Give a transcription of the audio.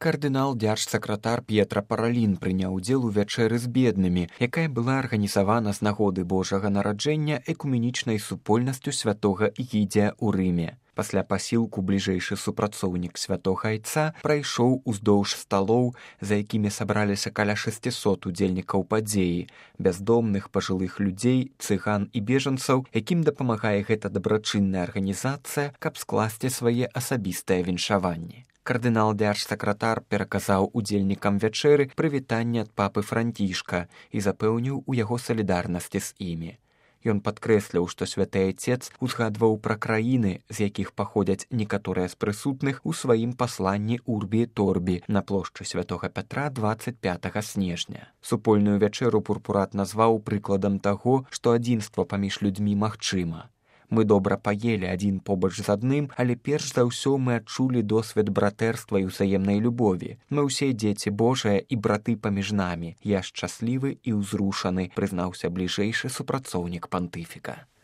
Кардынал дзяржсакратар П'етра Паралін прыняў удзел у вячэры з беднымі, якая была арганізавана з нагоды Божага нараджэння экуменічнай супольнасцю святога Ігідзія ў Рыме. Пасля пасілку бліжэйшы супрацоўнік святога айца прайшоў уздоўж сталоў, за якімі сабраліся каля 600 удзельнікаў падзеі, бяздомных пажылых людзей, цыган і бежанцаў, якім дапамагае гэта дабрачынная арганізацыя, каб скласці свае асабістыя віншаванні. Кардынал дзяржсакратар пераказаў удзельнікам вячэры прывітанне ад папы Францішка і запэўніў у яго салідарнасці з імі. Ён падкрэсліў, што святы айцец узгадваў пра краіны, з якіх паходзяць некаторыя з прысутных у сваім пасланні Урбі і Торбі на плошчы святога Пятра 25 снежня. Супольную вячэру пурпурат назваў прыкладам таго, што адзінства паміж людзьмі магчыма. Мы добра паелі адзін побач з адным, але перш за ўсё мы адчулі досвед братэрства і ўзаемнай любові. Мы ўсе дзеці Божыя і браты паміж намі. Я шчаслівы і ўзрушаны, прызнаўся бліжэйшы супрацоўнік пантыфіка.